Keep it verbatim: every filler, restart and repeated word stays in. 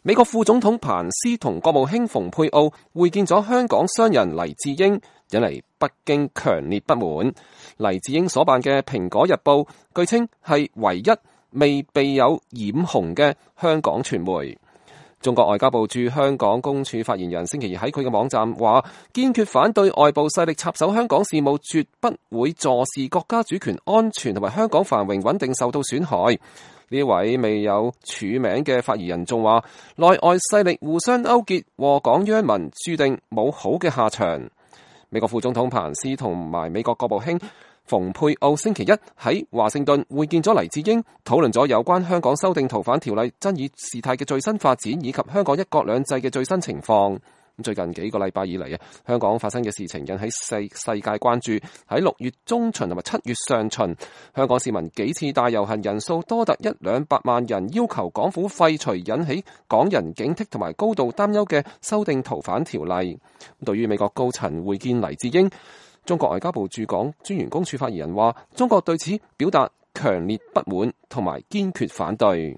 美國副總統彭斯同國務卿蓬佩奧會見咗香港商人黎智英，引嚟北京強烈不滿。黎智英所辦嘅《蘋果日報》據稱係唯一未被有染紅嘅香港傳媒。中國外交部駐香港公署發言人星期二喺佢嘅網站話，堅決反對外部勢力插手香港事務，絕不會坐視國家主權安全同埋香港繁榮穩定受到損害。呢位未有署名嘅發言人仲話，內外勢力互相勾結，禍港殃民，注定冇好嘅下場。美國副總統彭斯同埋美國國務卿蓬佩奧星期一喺華盛頓會見咗黎智英，討論咗有關香港修訂逃犯條例爭議事態嘅最新發展，以及香港一國兩制嘅最新情況。最近幾個禮拜以嚟啊，香港發生嘅事情引起世世界關注。喺六月中旬同埋七月上旬，香港市民幾次大遊行，人數多達一兩百萬人，要求港府廢除引起港人警惕同埋高度擔憂嘅修訂逃犯條例。對於美國高層會見黎智英，中國外交部駐港專員公署發言人話，中國對此表達強烈不滿同埋堅決反對。